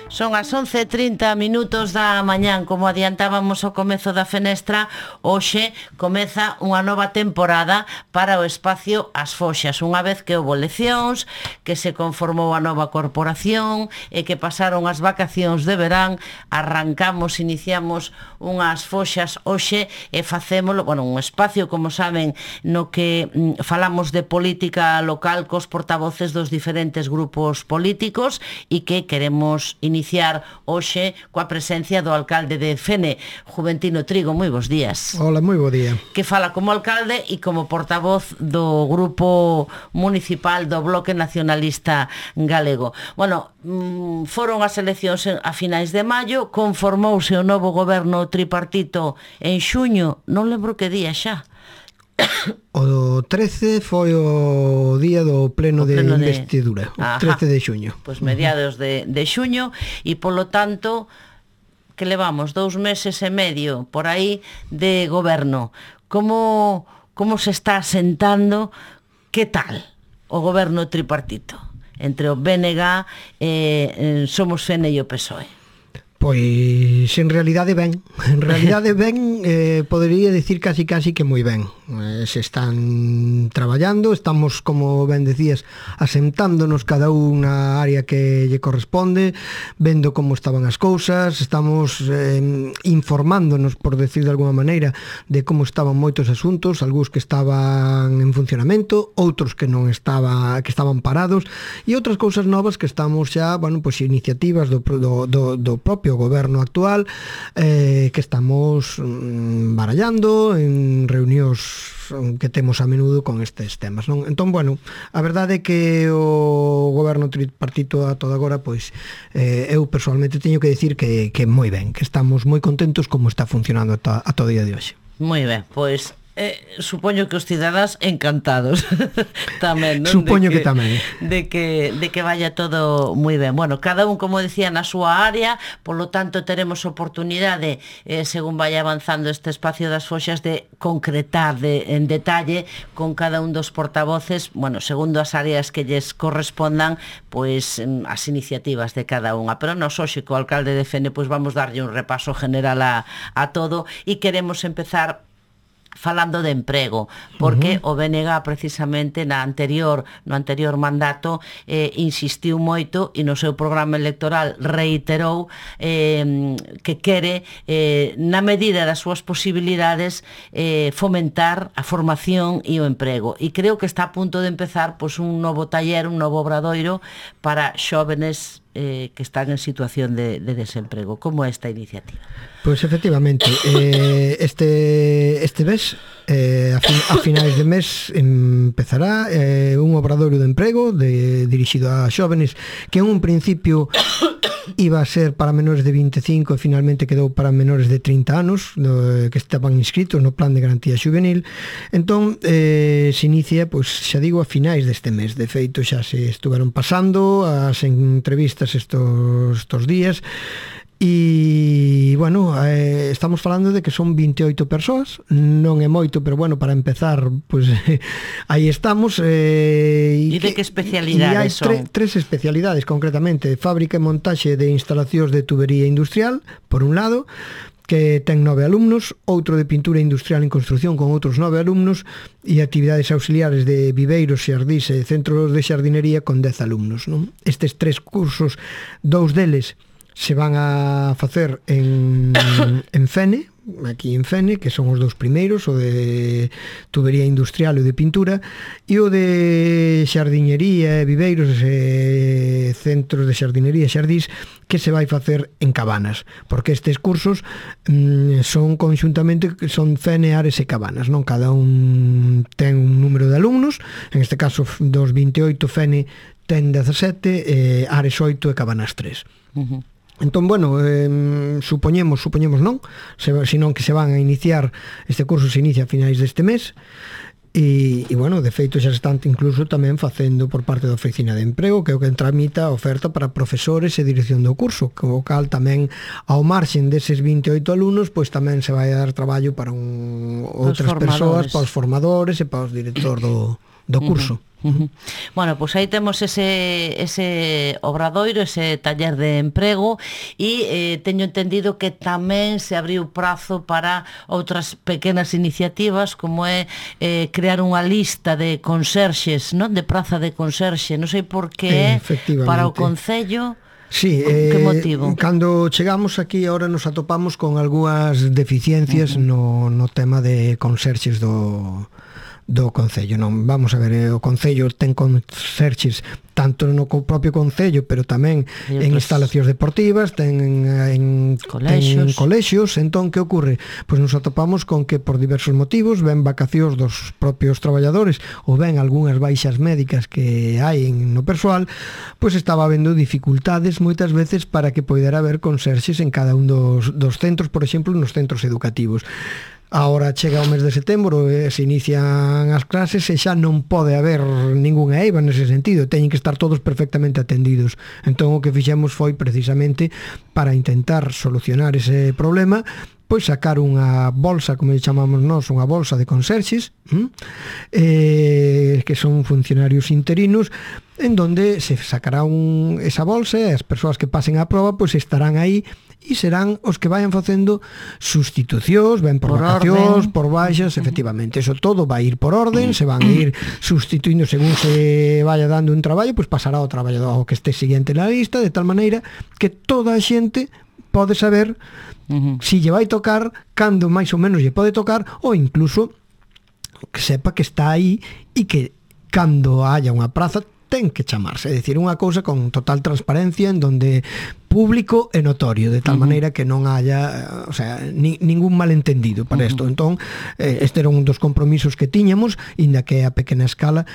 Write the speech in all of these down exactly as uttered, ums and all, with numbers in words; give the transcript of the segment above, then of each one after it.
Son as once e trinta minutos da mañán. Como adiantábamos ao comezo da fenestra, hoxe comeza unha nova temporada para o espacio As Foxas. Unha vez que houbo eleccións, que se conformou a nova corporación e que pasaron as vacacións de verán, arrancamos, iniciamos unhas foxas hoxe e facémolo, bueno, un espacio, como saben, no que mm, falamos de política local cos portavoces dos diferentes grupos políticos e que queremos iniciar iniciar hoxe coa presencia do alcalde de Fene, Juventino Trigo. Moi bons días. Hola, moi bo día. Que fala como alcalde e como portavoz do grupo municipal do Bloque Nacionalista Galego. Bueno, foron as eleccións a finais de maio, conformouse o novo goberno tripartito en xuño, non lembro que día xa. O trece foi o día do pleno, o pleno de investidura, de... o trece de xuño. Pois mediados de, de xuño, e polo tanto que levamos dous meses e medio por aí de goberno. Como, como se está asentando, que tal o goberno tripartito entre o B N G e eh, Somos Fene e o P S O E? Pois en realidade ben, en realidade ben, eh, podería dicir casi casi que moi ben. Eh, se están traballando, estamos, como ben decías, asentándonos cada unha área que lle corresponde, vendo como estaban as cousas, estamos eh, informándonos, por decir de alguma maneira, de como estaban moitos asuntos, algúns que estaban en funcionamento, outros que non estaba, que estaban parados, e outras cousas novas que estamos xa, bueno, pois iniciativas do, do, do, do propio o goberno actual eh, que estamos mm, barallando en reunións que temos a menudo con estes temas, non? Entón, bueno, a verdade é que o goberno tripartito a toda agora, pois eh, eu personalmente teño que dicir que, que moi ben, que estamos moi contentos como está funcionando a, a todo día de hoxe. Moi ben, pois Eh, supoño que os cidadáns encantados tamén, non? Supoño que, que tamén de que, de que vaya todo moi ben. Bueno, cada un, como decía, na súa área, polo tanto teremos oportunidade, eh, según vai avanzando este espacio das foxas, de concretar de, en detalle con cada un dos portavoces, bueno, segundo as áreas que lles correspondan, pois as iniciativas de cada unha. Pero nos hoxe co alcalde de Fene, pois vamos darlle un repaso general a, a todo, e queremos empezar falando de emprego, porque uh-huh. o B N G precisamente na anterior, no anterior mandato eh, insistiu moito e no seu programa electoral reiterou eh, que quere eh, na medida das súas posibilidades eh, fomentar a formación e o emprego, e creo que está a punto de empezar pois, un novo taller, un novo obradoiro para xóvenes eh, que están en situación de, de desemprego. Como é esta iniciativa? Pois efectivamente, eh, este este mes, eh, a, fin, a finais de mes empezará eh, un obradoiro de emprego de, dirixido a xóvenes que en un principio iba a ser para menores de vinte e cinco e finalmente quedou para menores de trinta anos no, que estaban inscritos no plan de garantía xuvenil. Entón eh, se inicia, pois xa digo, a finais deste mes. De feito xa se estuveron pasando as entrevistas estos, estos días. E, bueno, eh, estamos falando de que son vinte e oito persoas, non é moito, pero, bueno, para empezar, pois, pues, aí estamos. Eh, e de que especialidades son? E hai tre, tres especialidades, concretamente, fábrica e montaxe de instalacións de tubería industrial, por un lado, que ten nove alumnos, outro de pintura industrial en construcción con outros nove alumnos, e actividades auxiliares de viveiros, xardís e centros de xardinería con dez alumnos, non? Estes tres cursos, dous deles se van a facer en, en Fene, aquí en Fene, que son os dous primeiros, o de tubería industrial e o de pintura, e o de xardiñería, viveiros e centros de xardinería e xardís, que se vai facer en Cabanas, porque estes cursos mm, son conxuntamente, son Fene, Ares e Cabanas, non? Cada un ten un número de alumnos, en este caso dos vinte e oito Fene ten dezasete, eh, Ares oito e Cabanas tres. Uh-huh. Entón, bueno, eh, supoñemos, supoñemos non, se, senón que se van a iniciar, este curso se inicia a finais deste mes, e, e bueno, de feito xa se están incluso tamén facendo por parte da Oficina de Emprego, que é o que tramita a oferta para profesores e dirección do curso, o cal tamén, ao marxen deses vinte e oito alumnos, pois tamén se vai a dar traballo para un, outras persoas, para os formadores e para os directores do, do curso. Uh-huh. Uh-huh. Bueno, pois pues aí temos ese, ese obradoiro, ese taller de emprego e eh, teño entendido que tamén se abriu prazo para outras pequenas iniciativas como é eh, crear unha lista de conserxes, non? De praza de conserxe, non sei por que é para o Concello. Sí, que eh, motivo? Cando chegamos aquí ahora nos atopamos con algunhas deficiencias uh-huh. no, no tema de conserxes do do Concello, non, vamos a ver, o Concello ten conserxes tanto no propio Concello, pero tamén en instalacións deportivas, ten en colexios. ten colexios, entón que ocorre? Pois nos atopamos con que por diversos motivos, ven vacacións dos propios traballadores ou ven algunhas baixas médicas que hai no persoal, pois estaba habendo dificultades moitas veces para que poidera haber conserxes en cada un dos, dos centros, por exemplo, nos centros educativos. Ahora chega o mes de setembro e se inician as clases e xa non pode haber ningunha eiva nese sentido, teñen que estar todos perfectamente atendidos. Entón o que fixemos foi precisamente para intentar solucionar ese problema, pois sacar unha bolsa, como chamamos nós, unha bolsa de conserxes, eh, que son funcionarios interinos, en donde se sacará un, esa bolsa e as persoas que pasen a proba pois estarán aí e serán os que vayan facendo sustitucións, ben por, por vacacións, orden. Por baixas, efectivamente, eso todo vai ir por orden, se van a ir sustituindo según se vaya dando un traballo, pois pasará ao traballador que este siguiente na lista, de tal maneira que toda a xente pode saber uh-huh. si lle vai tocar, cando máis ou menos lle pode tocar, ou incluso que sepa que está aí e que cando haya unha praza ten que chamarse, é dicir, unha cousa con total transparencia en donde público e notorio, de tal uh-huh. maneira que non haya, o sea, ni, ningún malentendido para isto. Uh-huh. Entón, eh, este era un dos compromisos que tiñamos, inda que a pequena escala,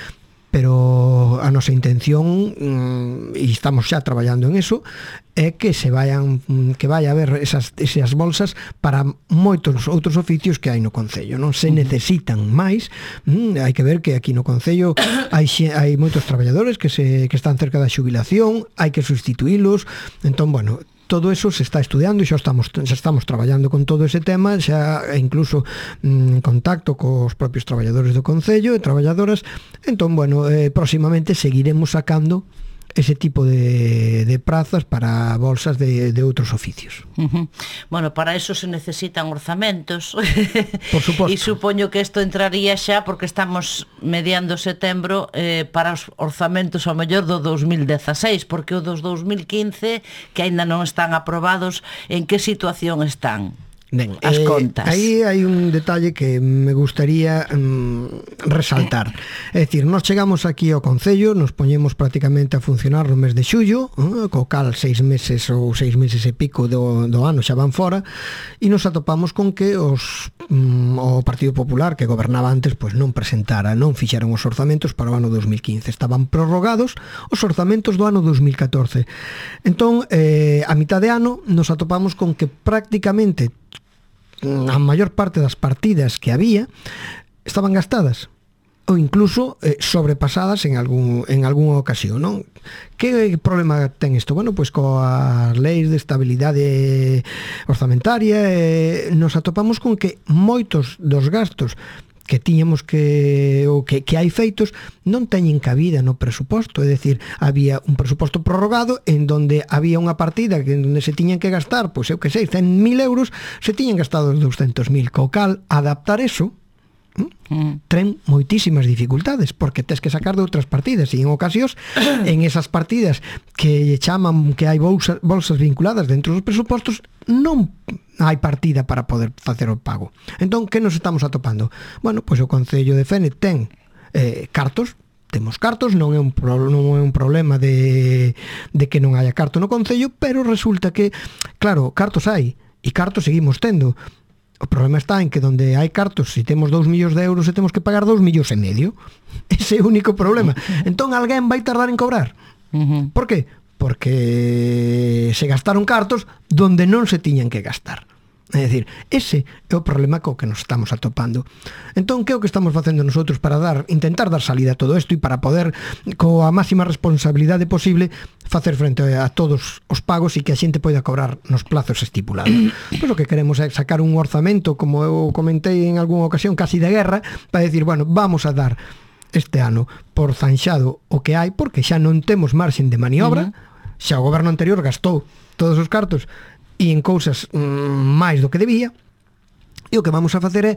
pero a nosa intención, mm, e estamos xa traballando en eso, é que se vayan, que vai a haber esas, esas bolsas para moitos outros oficios que hai no Concello. Non se necesitan máis, mm, hai que ver que aquí no Concello hai, hai moitos traballadores que, se, que están cerca da xubilación, hai que sustituílos, entón, bueno, todo eso se está estudiando e xa estamos, xa estamos traballando con todo ese tema, xa incluso mm, en contacto cos propios traballadores do Concello e traballadoras. Entón, bueno, eh, próximamente seguiremos sacando ese tipo de, de prazas para bolsas de, de outros oficios. Uh-huh. Bueno, para eso se necesitan orzamentos. Por suposto. E supoño que isto entraría xa porque estamos mediando setembro eh, para os orzamentos ao mellor do dos mil dezaseis, porque o dos dos mil quince, que aínda non están aprobados, en que situación están? Ben, as eh, contas. Aí hai un detalle que me gustaría mm, resaltar. É dicir, nós chegamos aquí ao Concello, nos poñemos prácticamente a funcionar no mes de xullo, eh, co cal seis meses ou seis meses e pico do, do ano xa van fora, e nos atopamos con que os mm, o Partido Popular, que gobernaba antes, pois non presentara, non fixeron os orzamentos para o ano dos mil quince. Estaban prorrogados os orzamentos do ano dos mil catorce. Entón, eh, a mitad de ano nos atopamos con que prácticamente a maior parte das partidas que había estaban gastadas ou incluso eh, sobrepasadas en algún en algunha ocasión, non? Que problema ten isto? Bueno, pois coas leis de estabilidade orzamentaria eh, nos atopamos con que moitos dos gastos que tiñamos que ou que, que hai feitos non teñen cabida no presuposto, é dicir, había un presuposto prorrogado en donde había unha partida que en donde se tiñan que gastar, pois eu que sei, cen mil euros, se tiñan gastado doscientos mil, co cal adaptar eso Mm. tren moitísimas dificultades porque tes que sacar de outras partidas e en ocasións en esas partidas que chaman que hai bolsas, bolsas vinculadas dentro dos presupostos non hai partida para poder facer o pago. Entón, que nos estamos atopando? Bueno, pois o Concello de Fene ten eh, cartos, temos cartos, non é un, pro, non é un problema de, de que non haya carto no Concello, pero resulta que, claro, cartos hai e cartos seguimos tendo. O problema está en que donde hai cartos, se temos dous millóns de euros e temos que pagar dous millóns e medio. Ese é o único problema. Entón alguén vai tardar en cobrar. Uh-huh. Por qué? Porque se gastaron cartos donde non se tiñan que gastar. É dicir, ese é o problema co que nos estamos atopando. Entón, que é o que estamos facendo nosotros para dar, intentar dar salida a todo isto e para poder, coa máxima responsabilidade posible, facer frente a todos os pagos e que a xente poida cobrar nos plazos estipulados. Pois o que queremos é sacar un orzamento, como eu comentei en algunha ocasión, casi de guerra, para decir, bueno, vamos a dar este ano por zanxado o que hai, porque xa non temos marxen de maniobra, uh-huh. xa o goberno anterior gastou todos os cartos e en cousas mm, máis do que debía, e o que vamos a facer é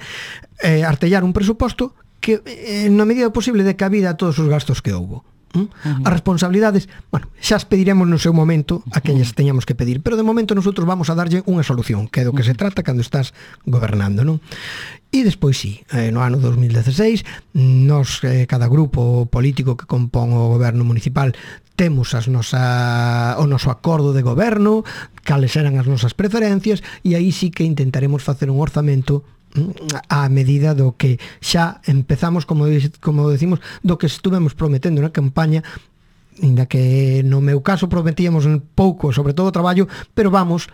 eh, artellar un presuposto que eh, na medida posible de cabida a todos os gastos que houbo. Uh-huh. As responsabilidades, bueno, xa as pediremos no seu momento a quen as teñamos que pedir, pero de momento nosotros vamos a darlle unha solución, que é do que se trata cando estás gobernando, non? E despois sí, eh, no ano dos mil dieciséis nos, eh, cada grupo político que compón o goberno municipal temos as nosa, o noso acordo de goberno, cales eran as nosas preferencias, e aí sí que intentaremos facer un orzamento a medida do que xa empezamos, como, como decimos, do que estuvemos prometendo na campaña, ainda que no meu caso prometíamos un pouco, sobre todo traballo, pero vamos,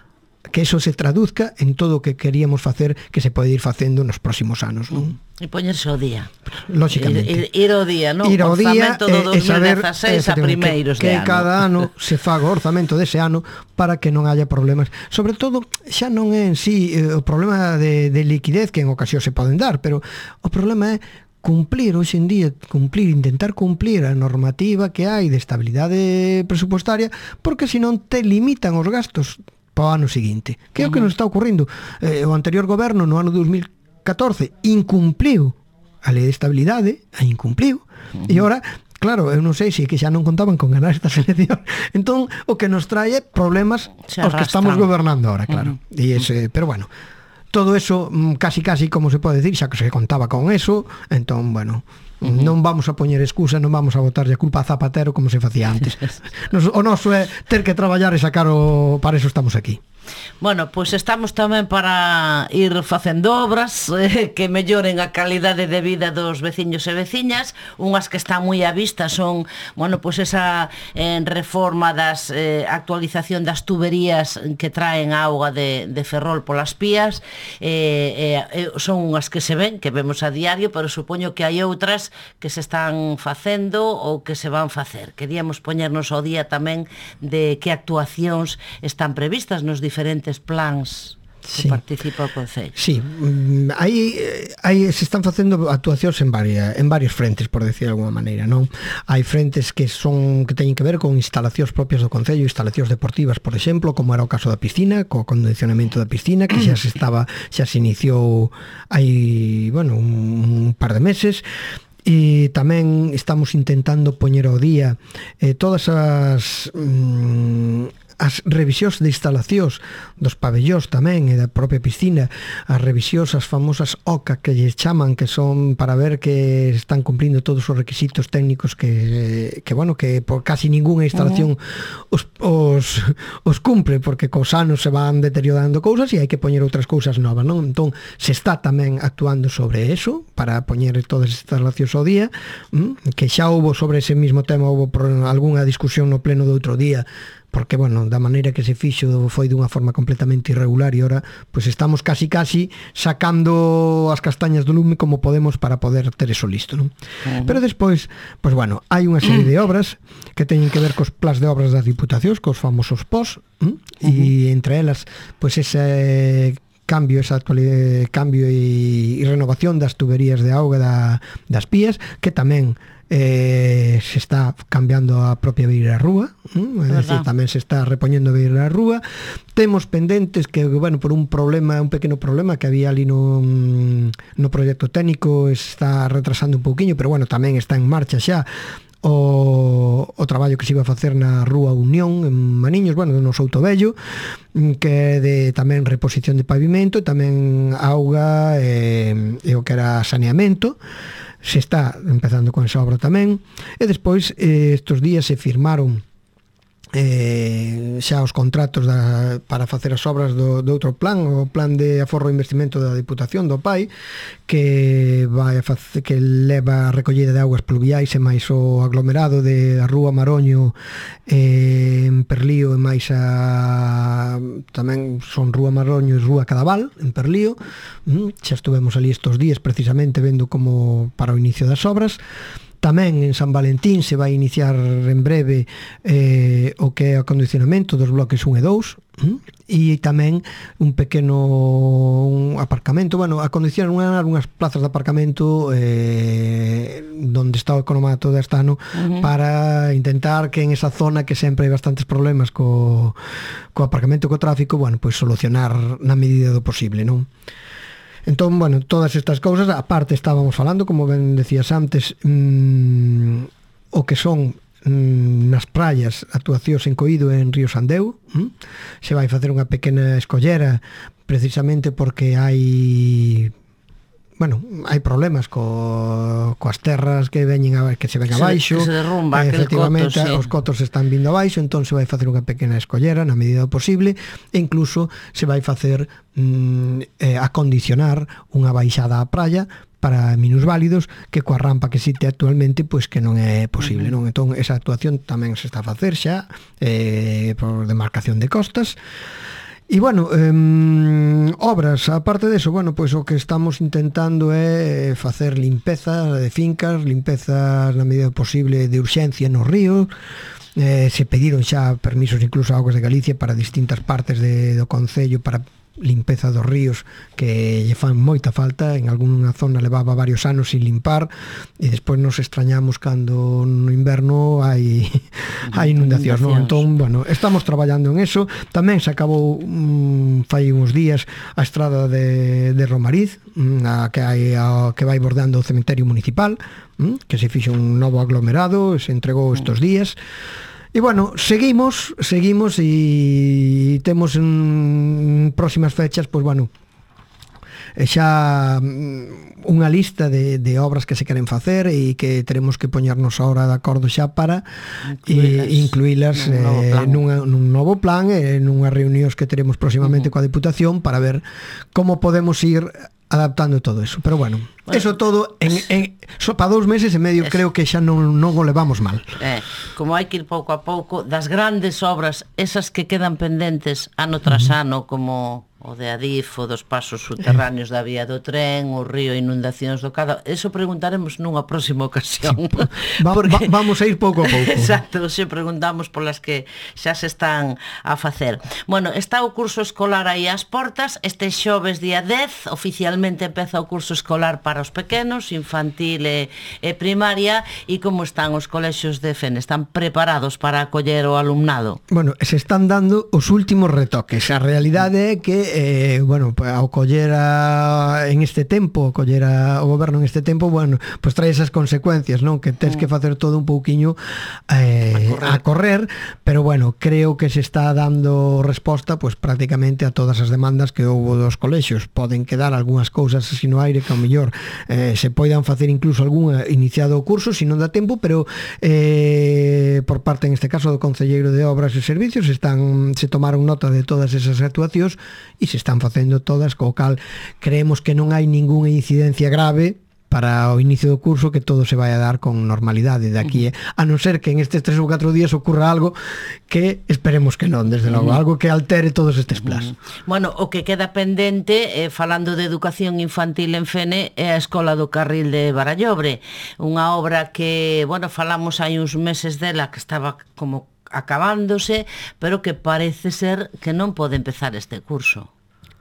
que eso se traduzca en todo o que queríamos facer, que se pode ir facendo nos próximos anos, non? E poñerse ao día. Lóxicamente. Ir, ir ao día, non? Ir ao día orzamento do e, e saber dos mil dezasseis a primeiros que, de que ano. cada ano se faga o orzamento dese ano para que non haya problemas. Sobre todo, xa non é en sí eh, o problema de, de liquidez que en ocasión se poden dar, pero o problema é cumplir hoxe en día, cumplir, intentar cumplir a normativa que hai de estabilidade presupostaria, porque senón te limitan os gastos para o ano seguinte. Que é o que nos está ocurrindo? Eh, o anterior goberno no ano dos mil catorce incumpliu a lei de estabilidade, a incumpliu, uh-huh. e ora, claro, eu non sei se que xa non contaban con ganar esta selección, entón o que nos trae problemas os que estamos gobernando ahora, claro. Uh-huh. E ese, pero bueno, todo eso casi casi como se pode decir, xa que se contaba con eso, entón, bueno, uh-huh. non vamos a poñer excusa, non vamos a botarlle a culpa a Zapatero como se facía antes. Nos, o noso é ter que traballar e sacar o... para eso estamos aquí. Bueno, pois estamos tamén para ir facendo obras eh, que melloren a calidade de vida dos veciños e veciñas. Unhas que están moi á vista son, bueno, pois esa eh, reforma das eh, actualización das tuberías que traen a auga de, de Ferrol polas pías. Eh, eh, son unhas que se ven, que vemos a diario, pero supoño que hai outras que se están facendo ou que se van facer. Queríamos poñernos ao día tamén de que actuacións están previstas nos diferentes plans que sí. participa o Concello. Sí, aí, aí se están facendo actuacións en varias, en varios frentes, por decir de alguma maneira, non? Hai frentes que son que teñen que ver con instalacións propias do Concello, instalacións deportivas, por exemplo, como era o caso da piscina, co condicionamento da piscina, que xa se estaba, xa se iniciou hai, bueno, un, un par de meses. E tamén estamos intentando poñer ao día eh, todas as mm, as revisións de instalacións dos pabellóns tamén e da propia piscina, as revisións, as famosas O C A que lle chaman, que son para ver que están cumplindo todos os requisitos técnicos que, que bueno, que por casi ninguna instalación uh-huh. os, os, os cumpre, porque cos anos se van deteriorando cousas e hai que poñer outras cousas novas, non? Entón, se está tamén actuando sobre eso, para poñer todas as instalacións ao día, que xa houbo sobre ese mismo tema, houbo algunha discusión no pleno do outro día, porque, bueno, da maneira que se fixo foi dunha forma completamente irregular e ora, pois estamos casi casi sacando as castañas do lume como podemos para poder ter eso listo, non? Uh-huh. Pero despois, pois bueno, hai unha serie de obras que teñen que ver cos plans de obras das diputacións, cos famosos P O S, uh-huh. e entre elas, pois ese cambio, esa actualidade, cambio e, e renovación das tuberías de auga da, das pías, que tamén Eh, se está cambiando a propia beira da rúa, ¿eh? É decir, tamén se está repoñendo a beira da rúa. Temos pendentes que, bueno, por un problema, un pequeno problema que había ali no, no proxecto técnico, está retrasando un pouquiño, pero bueno, tamén está en marcha xa o, o traballo que se iba a facer na Rúa Unión en Maniños, bueno, no Souto Vello, que é de tamén reposición de pavimento, tamén auga e, e o que era saneamento. Se está empezando con esa obra tamén, e despois eh, estos días se firmaron eh, xa os contratos da, para facer as obras do, do outro plan, o plan de aforro e investimento da Diputación do P A I, que vai a facer, que leva a recollida de augas pluviais e máis o aglomerado de a Rúa Maroño eh, en Perlío, e máis a tamén son Rúa Maroño e Rúa Cadaval en Perlío. Mm, xa estuvemos ali estos días precisamente vendo como para o inicio das obras. Tamén en San Valentín se vai iniciar en breve eh, o que é o acondicionamento dos bloques un e dous, e tamén un pequeno un aparcamento, bueno, acondicionar unhas plazas de aparcamento eh, donde está o economato de Astano, uh-huh, para intentar que en esa zona que sempre hai bastantes problemas co, co aparcamento, co tráfico, bueno, pois solucionar na medida do posible, non? Entón, bueno, todas estas cousas, aparte estábamos falando, como ben decías antes, mmm, o que son nas praias, actuacións en Coído e en Río Sandeu, hm? Se vai facer unha pequena escollera precisamente porque hai, bueno, hai problemas co, coas terras que veñen a, que se ven abaixo, se, se derrumba, eh, efectivamente coto, sí, os cotos están vindo abaixo, entón se vai facer unha pequena escollera na medida do posible, e incluso se vai facer mm, eh, acondicionar unha baixada á praia para minusválidos, que coa rampa que existe actualmente pois que non é posible, non? Entón esa actuación tamén se está a facer xa eh, por demarcación de costas. E bueno, eh, obras, aparte deso, bueno, pois o que estamos intentando é facer limpeza de fincas, limpezas na medida posible de urxencia nos ríos. Eh, se pediron xa permisos incluso a Augas de Galicia para distintas partes de, do concello para limpeza dos ríos que lle fan moita falta, en algunha zona levaba varios anos sin limpar e despois nos extrañamos cando no inverno hai hai inundacións, non? Entón, bueno, estamos traballando en eso. Tamén se acabou um, fai uns días a estrada de, de Romariz, a que hai a, que vai bordando o cementerio municipal, um, que se fixo un novo aglomerado, se entregou estos días. E bueno, seguimos, seguimos e temos en próximas fechas, pois bueno, xa unha lista de, de obras que se queren facer e que teremos que poñernos ahora de acordo xa para incluílas eh, nun, eh, nun novo plan, e eh, nunhas reunións que teremos próximamente uh-huh. coa Deputación para ver como podemos ir adaptando todo eso, pero bueno, bueno eso todo en, en so, para dous meses e medio es, creo que xa non, non o levamos mal. Eh, como hai que ir pouco a pouco das grandes obras, esas que quedan pendentes ano tras uh-huh. ano, como o de Adif, o dos pasos subterráneos da vía do tren, o río, inundacións do Cadao, eso preguntaremos nunha próxima ocasión. Sí, va, porque, va, vamos a ir pouco a pouco. Exacto, se preguntamos polas que xa se están a facer. Bueno, está o curso escolar aí ás portas, este xoves día dez, oficialmente empeza o curso escolar para os pequenos, infantil e, e primaria, e como están os colexios de Fene? Están preparados para acoller o alumnado? Bueno, se están dando os últimos retoques. A realidade é que Eh, bueno, ao coller a, en este tempo, ao coller a, o goberno en este tempo, bueno, pois pues trae esas consecuencias, non? Que tens que facer todo un pouquiño eh, a, correr. a correr, pero bueno, creo que se está dando resposta pois pues, prácticamente a todas as demandas que houbo dos colexios. Poden quedar algunhas cousas así no aire que ao mellor eh, se poidan facer incluso algunha iniciado o curso, se non dá tempo, pero eh, por parte, en este caso, do Concelleiro de Obras e Servicios, están se tomaron nota de todas esas actuacións e se están facendo todas, co cal creemos que non hai ningunha incidencia grave para o inicio do curso, que todo se vai a dar con normalidade de aquí, eh? A non ser que en estes tres ou catro días ocurra algo que esperemos que non, desde logo, algo que altere todos estes plans. Bueno, o que queda pendente, eh, falando de educación infantil en Fene, é a Escola do Carril de Barallobre, unha obra que, bueno, falamos hai uns meses dela, que estaba como acabándose, pero que parece ser que non pode empezar este curso.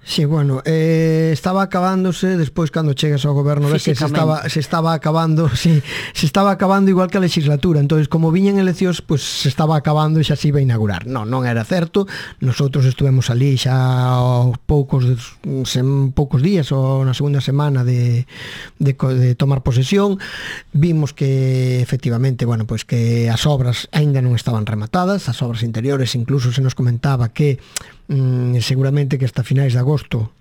Sí, bueno, eh, estaba acabándose despois cando chegas ao goberno, ves que se estaba, se estaba acabando, sí, se estaba acabando igual que a legislatura, entonces como viñan eleccións, pues se estaba acabando e xa se iba a inaugurar. Non, non era certo. Nosotros estuvemos ali xa aos poucos sem, poucos días ou na segunda semana de, de, de tomar posesión. Vimos que efectivamente, bueno, pues que as obras aínda non estaban rematadas, as obras interiores, incluso se nos comentaba que Mm, seguramente que hasta finais de agosto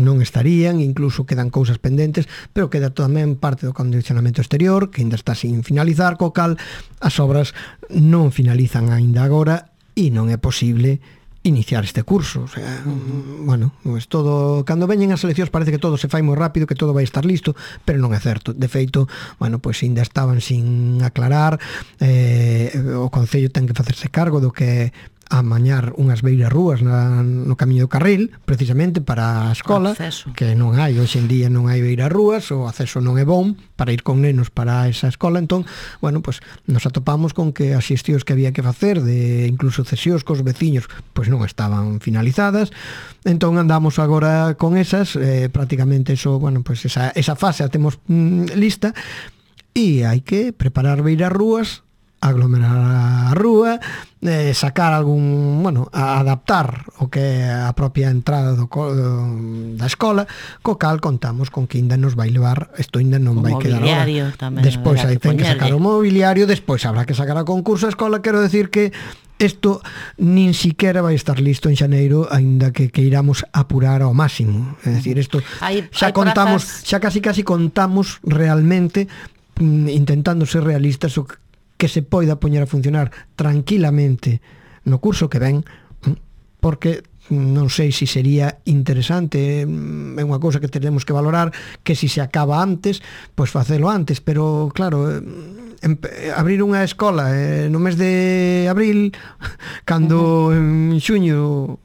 non estarían, incluso quedan cousas pendentes, pero queda tamén parte do condicionamento exterior que ainda está sin finalizar, co cal as obras non finalizan aínda agora e non é posible iniciar este curso. O sea, uh-huh. bueno, pues todo, cando veñen as eleccións parece que todo se fai moi rápido, que todo vai estar listo, pero non é certo. De feito, bueno, pois pues, ainda estaban sin aclarar, eh, o Concello ten que facerse cargo do que a mañar unhas beiras rúas na, no camiño do carril, precisamente para a escola, que non hai, hoxe en día non hai beiras rúas, o acceso non é bon para ir con nenos para esa escola, entón, bueno, pues nos atopamos con que as xestións que había que facer, de incluso cesións cos veciños, pois non estaban finalizadas, entón andamos agora con esas, eh, prácticamente eso, bueno, pues esa, esa fase a temos mm, lista, e hai que preparar beiras rúas, aglomerar a rúa, eh, sacar algún, bueno, a adaptar o que é a propia entrada do, do, da escola, co cal contamos con que ainda nos vai levar, isto ainda non vai quedar ahora. Despois hai ten que sacar o mobiliario, despois habrá que sacar a concurso a escola, quero decir que isto nin siquiera vai estar listo en xaneiro, aínda que que iramos apurar ao máximo. É dicir, isto hay, xa hay contamos, plazas... xa casi casi contamos realmente mm, intentando ser realistas o que se poida poñer a funcionar tranquilamente no curso que ven, porque non sei se sería interesante, é unha cousa que tenemos que valorar, que se se acaba antes, pois facelo antes, pero claro, abrir unha escola eh, no mes de abril, cando en xuño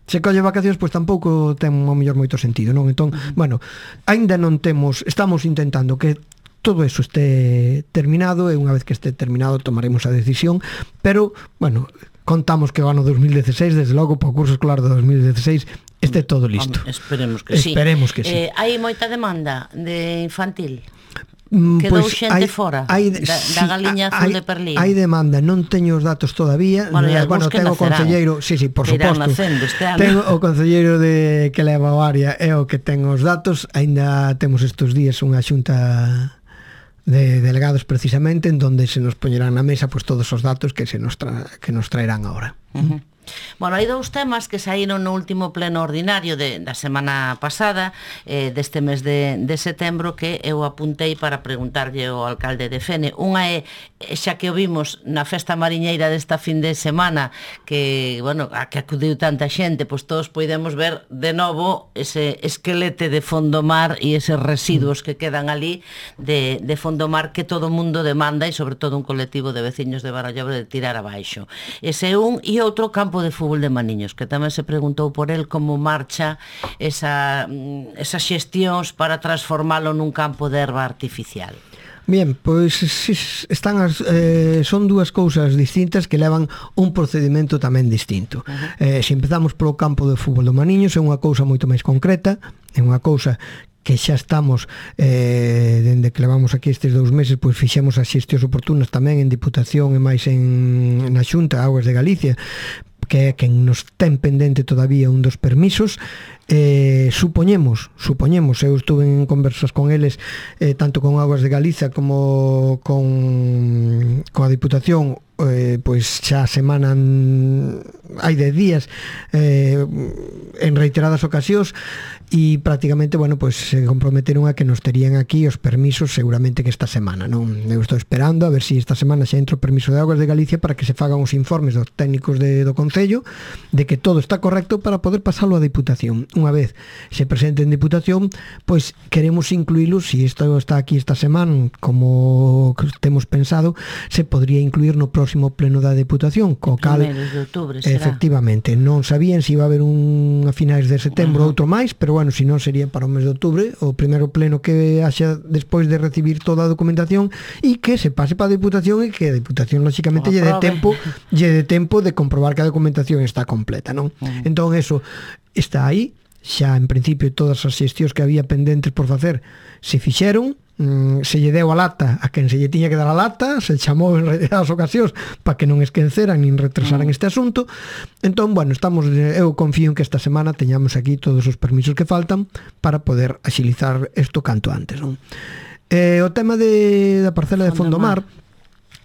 se colle vacacións, pois tampouco ten ao mellor moito sentido, non? Entón, uh-huh. bueno, aínda non temos, estamos intentando que todo eso esté terminado, e unha vez que esté terminado tomaremos a decisión, pero, bueno, contamos que o ano dos mil dieciséis, desde logo, para o curso escolar de dos mil dieciséis, este todo listo. Esperemos que sí. Esperemos que sí. Eh, hai moita demanda de infantil? Quedou pues xente hai, fora hai, da, da sí, Galiña Azul hai, de Perlín. Hai demanda, non teño os datos todavía. Bueno, no, bueno tengo o concelleiro, sí, sí, por suposto. Este tengo o concelleiro de que leva o área é o que ten os datos. Aínda temos estes días unha xunta de delegados precisamente en donde se nos poñerán na mesa pues todos os datos que se nos tra que nos traerán agora. Uh-huh. Bueno, hai dous temas que saíron no último pleno ordinario de, da semana pasada, eh, deste mes de, de setembro, que eu apuntei para preguntarlle ao alcalde de Fene. Unha é, xa que o vimos na festa mariñeira desta fin de semana, que, bueno, a que acudiu tanta xente, pois todos podemos ver de novo ese esquelete de Fondomar e eses residuos que quedan ali de, de Fondomar que todo o mundo demanda, e sobre todo un colectivo de veciños de Barallobre de tirar abaixo. Ese é un, e outro campo de fútbol de Maniños, que tamén se preguntou por el como marcha esa, esas xestións para transformalo nun campo de erva artificial. Bien, pois están as, eh, son dúas cousas distintas que levan un procedimento tamén distinto. Uh-huh. eh, se empezamos polo campo de fútbol do Maniños, é unha cousa moito máis concreta, é unha cousa que xa estamos eh, dende que levamos aquí estes dous meses, pois fixemos as xestións oportunas tamén en Diputación e máis en, na Xunta Augas de Galicia, que é quen nos ten pendente todavía un dos permisos. Eh, supoñemos, supoñemos, eu estuve en conversas con eles, eh, tanto con Augas de Galiza como con, con a Diputación, eh, pois xa a semana hai dez días eh, en reiteradas ocasións, e prácticamente, bueno, pois se comprometeron a que nos terían aquí os permisos seguramente que esta semana, non? Eu estou esperando a ver se si esta semana xa entra o permiso de Augas de Galicia para que se fagan os informes dos técnicos de, do Concello de que todo está correcto para poder pasalo a Diputación. Unha vez se presente en Diputación, pois queremos incluílo, se si isto está aquí esta semana como temos pensado, se podría incluir no próximo pleno da Diputación, co cal de outubro, será? Efectivamente, non sabían se si iba a haber un a finais de setembro, uh-huh. outro máis, pero bueno, se non sería para o mes de outubro, o primeiro pleno que haxa despois de recibir toda a documentación, e que se pase para a Diputación, e que a Diputación lógicamente lle de tempo, lle de tempo de comprobar que a documentación está completa, non? Uh-huh. Entón eso está aí, xa en principio todas as xestións que había pendentes por facer se fixeron, se lle deu a lata a quen se lle tiña que dar a lata, se chamou en reiteradas ocasións para que non esqueceran nin retrasaran este asunto. Entón, bueno, estamos, eu confío en que esta semana teñamos aquí todos os permisos que faltan para poder axilizar isto canto antes, non? Eh, o tema de, da parcela de Fondomar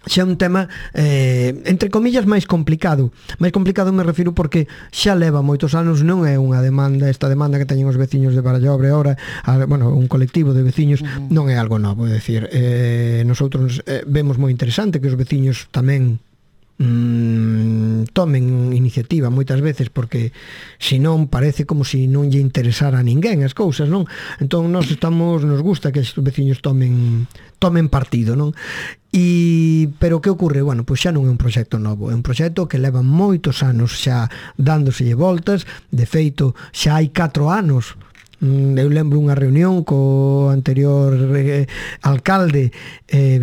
xa é un tema eh, entre comillas máis complicado. Máis complicado me refiro porque xa leva moitos anos, non é unha demanda, esta demanda que teñen os veciños de Barallobre ahora, a, bueno, un colectivo de veciños, uh-huh. non é algo novo, é dicir, eh, nosotros eh, vemos moi interesante que os veciños tamén mm, tomen iniciativa moitas veces, porque senón parece como se non lle interesara a ninguén as cousas, non? Entón nós estamos, nos gusta que os veciños tomen tomen partido, non? E, pero que ocorre? Bueno, pois xa non é un proxecto novo, é un proxecto que leva moitos anos xa dándoselle voltas. De feito, xa hai catro anos. Eu lembro unha reunión co anterior eh, alcalde eh,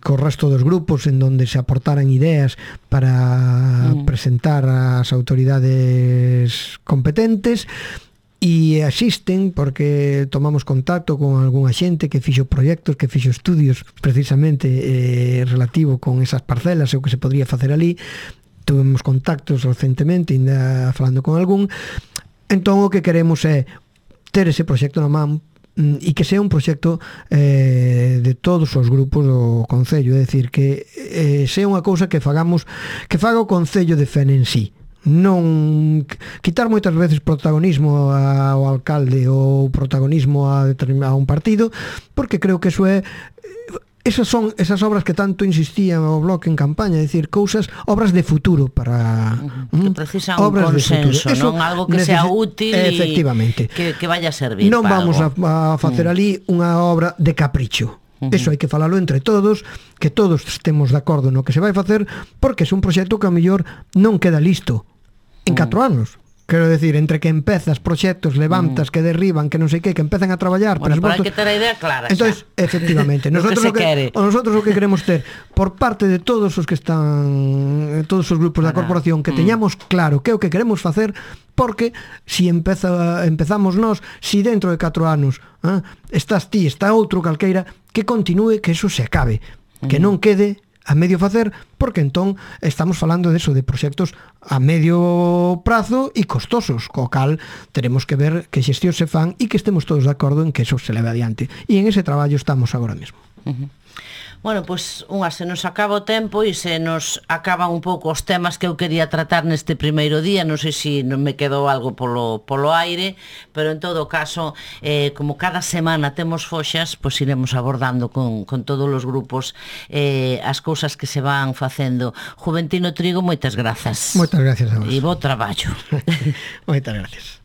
co resto dos grupos en donde se aportaran ideas para mm. presentar ás autoridades competentes, e existen porque tomamos contacto con algunha xente que fixo proxectos, que fixo estudios precisamente eh, relativo con esas parcelas e o que se podría facer ali. Tuvemos contactos recentemente, ainda falando con algún. Entón o que queremos é ter ese proxecto na man e que sea un proxecto eh, de todos os grupos do Concello, é dicir, que eh, sea unha cousa que fagamos, que faga o Concello de Fene en sí, non quitar moitas veces protagonismo ao alcalde ou protagonismo a, a un partido, porque creo que eso é esas son esas obras que tanto insistía o Bloque en campaña, é dicir, cousas, obras de futuro para uh -huh. que precisan un consenso, non algo que sea útil e efectivamente que, que vaya a servir. Non vamos a, a facer uh -huh. ali unha obra de capricho. Uh -huh. Eso hai que falalo entre todos, que todos estemos de acordo no que se vai facer, porque é un proxecto que a mellor non queda listo en catro uh -huh. anos. Quero decir, entre que empezas proxectos, levantas, uh -huh. que derriban, que non sei que, que empezan a traballar, bueno, pero hai que ter a idea clara. Entonces, efectivamente, nosotros o que, o nosotros o que queremos ter por parte de todos os que están, todos os grupos da corporación, que teñamos claro que é o que queremos facer, porque si empeza, empezamos nós, si dentro de catro anos eh, estás ti, está outro calqueira, que continúe, que eso se acabe, que non quede a medio facer, porque entón estamos falando de eso, de proxectos a medio prazo e costosos, co cal teremos que ver que xestión se fan e que estemos todos de acordo en que eso se leve adiante, e en ese traballo estamos agora mesmo. Uh -huh. Bueno, pois unha se nos acaba o tempo e se nos acaban un pouco os temas que eu quería tratar neste primeiro día. Non sei se non me quedou algo polo, polo aire, pero en todo caso, eh, como cada semana temos foxas, pois iremos abordando con, con todos os grupos eh, as cousas que se van facendo. Juventino Trigo, moitas grazas. Moitas gracias a vos. E bo traballo. Moitas gracias.